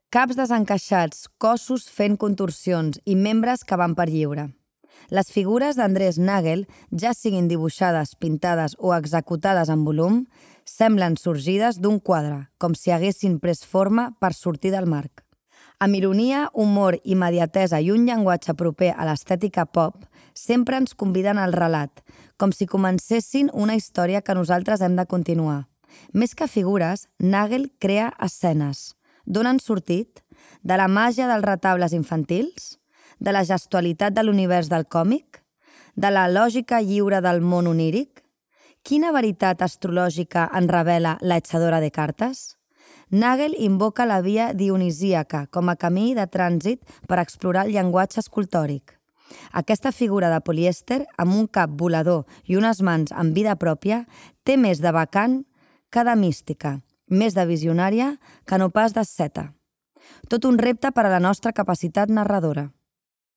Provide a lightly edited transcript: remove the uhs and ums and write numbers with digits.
Caps desencaixats, cossos fent contorsions i membres que van per lliure. Les figures d'Andrés Nagel, ja siguin dibuixades, pintades o executades en volum, semblen sorgides d'un quadre, com si haguessin pres forma per sortir del marc. Amb ironia, humor, immediatesa i un llenguatge proper a l'estètica pop, sempre ens conviden al relat, com si comencessin una història que nosaltres hem de continuar. Més que figures, Nagel crea escenes. D'on han sortit? De la màgia dels retables infantils? De la gestualitat de l'univers del còmic? De la lògica lliure del món oníric? Quina veritat astrològica en revela l'Eixadora de cartes? Nagel invoca la via dionisíaca com a camí de trànsit per explorar el llenguatge escultòric. Aquesta figura de polièster, amb un cap volador i unes mans amb vida pròpia, té més de bacant que de mística, més de visionària que no pas d'asceta. Tot un repte per a la nostra capacitat narradora.